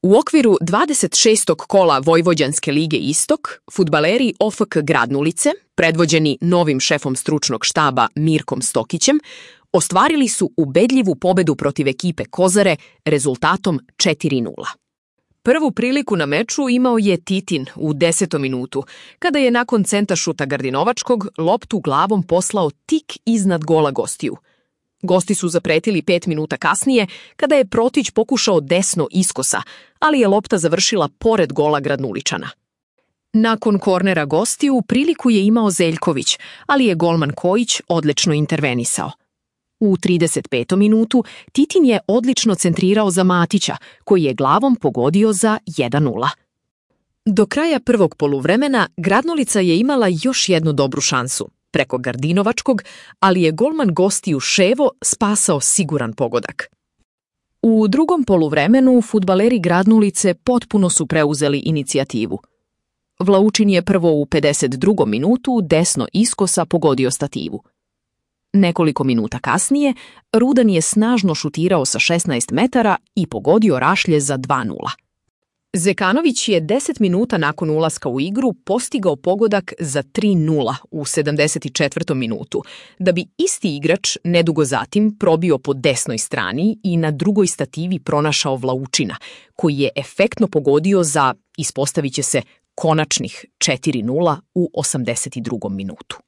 U okviru 26. kola Vojvođanske lige Istok, fudbaleri OFK Gradnulice, predvođeni novim šefom stručnog štaba Mirkom Stokićem, ostvarili su ubedljivu pobedu protiv ekipe Kozare rezultatom 4:0. Prvu priliku na meču imao je Titin u 10. minutu, kada je nakon centašuta Gardinovačkog loptu glavom poslao tik iznad gola gostiju. Gosti su zapretili 5 minuta kasnije, kada je Protić pokušao desno iskosa, ali je lopta završila pored gola Gradnuličana. Nakon kornera gostiju priliku je imao Zeljković, ali je golman Kojić odlično intervenisao. U 35. minutu Titin je odlično centrirao za Matića, koji je glavom pogodio za 1:0. Do kraja prvog poluvremena Gradnulica je imala još jednu dobru šansu, preko Gardinovačkog, ali je golman gostiju Ševo spasao siguran pogodak. U drugom poluvremenu fudbaleri Gradnulice potpuno su preuzeli inicijativu. Vlaučin je prvo u 52. minutu desno iskosa pogodio stativu. Nekoliko minuta kasnije, Rudan je snažno šutirao sa 16 metara i pogodio rašlje za 2:0. Zekanović je 10 minuta nakon ulaska u igru postigao pogodak za 3:0 u 74. minutu, da bi isti igrač nedugo zatim probio po desnoj strani i na drugoj stativi pronašao Vlaučina, koji je efektno pogodio za, ispostavit će se, konačnih 4:0 u 82. minutu.